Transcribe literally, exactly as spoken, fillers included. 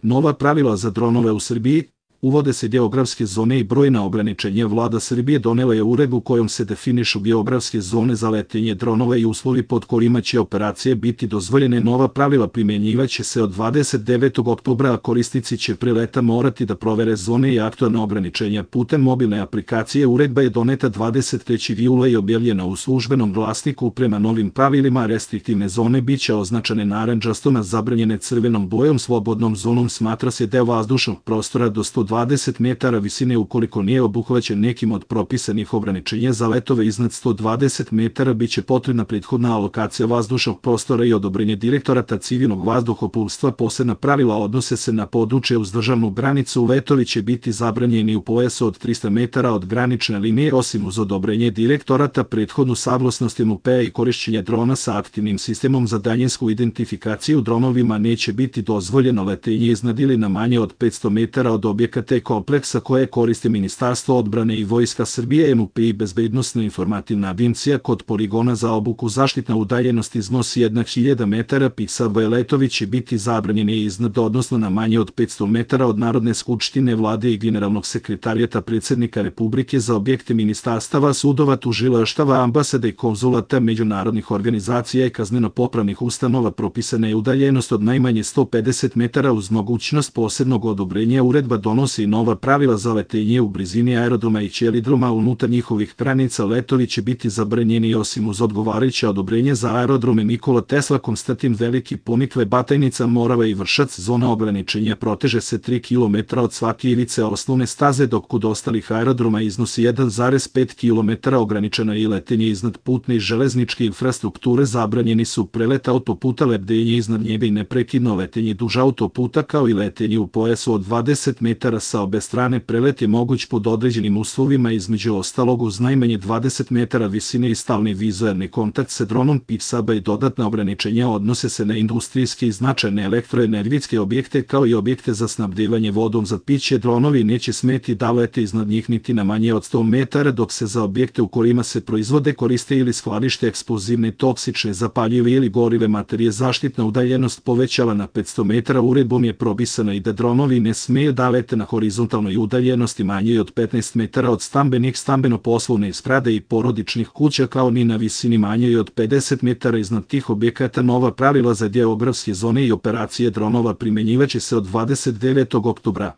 Nova pravila za dronove u Srbiji. Uvode se geografske zone i brojna ograničenja. Vlada Srbije donela je uredbu kojom se definišu geografske zone za letenje dronova i uslovi pod kojima će operacije biti dozvoljene. Nova pravila primjenjivaće se od dvadeset devetog oktobra, a korisnici će pre leta morati da provere zone i aktuelna ograničenja putem mobilne aplikacije. Uredba je doneta dvadeset trećeg jula i objavljena u Službenom glasniku. Prema novim pravilima, restriktivne zone biće označene narandžastom, a zabranjene crvenom bojom. Slobodnom zonom smatra se deo vazdušnog prostora do sto dvadeset metara visine ukoliko nije obuhvaćen nekim od propisanih ograničenja. Za letove iznad sto dvadeset metara biće potrebna prethodna alokacija vazdušnog prostora i odobrenje Direktorata civilnog vazduhoplovstva. Posebna pravila odnose se na područje uz državnu granicu. Letovi će biti zabranjeni u pojasu od trista metara od granične linije, osim uz odobrenje Direktorata, prethodnu saglasnost M U P-a i korišćenje drona sa aktivnim sistemom za daljinsku identifikaciju. Dronovima neće biti dozvoljeno letenje iznad ili na manje od petsto metara od objekata te kompleksa koje koriste Ministarstvo odbrane i Vojska Srbije. M U P i Bezbednosno-informativna agencija. Kod poligona za obuku zaštitna udaljenost iznosi jedna hiljada metara. P I S A V letovi će biti zabranjeni iznad, odnosno na manje od petsto metara od Narodne skupštine, Vlade i Generalnog sekretarijata Predsednika Republike. Za objekte ministarstava, sudova, tužilaštava, ambasada i konzulata, međunarodnih organizacija i kazneno-popravnih ustanova propisana je udaljenost od najmanje sto pedeset metara uz mogućnost posebnog odobrenja. Uredba donosi i nova pravila za letenje u blizini aerodroma i ćelidroma. Unutar njihovih granica letovi će biti zabranjeni osim uz odgovarajuće odobrenje za aerodrome Nikola Tesla, Konstantin Veliki, Ponikve, Batajnica, Morava i Vršac. Zona ograničenja proteže se tri kilometra od svake ivice osnovne staze, dok kod ostalih aerodroma iznosi jedan zarez pet kilometara. Ograničeno je i letenje iznad putne i železničke infrastrukture. Zabranjeni su prelet autoputa, lebdenje iznad njega i neprekidno letenje duž autoputa, kao i letenje u pojasu od dvadeset metara sa obe strane. Prelet je moguć pod određenim uslovima, između ostalog uz najmanje dvadeset metara visine i stalni vizuelni kontakt sa dronom. P I S A B i dodatna ograničenja odnose se na industrijske i značajne elektroenergetske objekte, kao i objekte za snabdevanje vodom za piće. Dronovi neće smeti da lete iznad njih niti na manje od sto metara, dok se za objekte u kojima se proizvode, koriste ili skladište eksplozivne, toksične, zapaljive ili gorive materije zaštitna udaljenost povećava na petsto metara. Uredbom je propisano i da dronovi ne smeju da lete na horizontalnoj udaljenosti manjoj od petnaest metara od stambenih, stambeno-poslovne zgrade i porodičnih kuća, kao ni na visini manjoj od pedeset metara iznad tih objekata. Nova pravila za geografske zone i operacije dronova primenjivaće se od dvadeset devetog oktobra.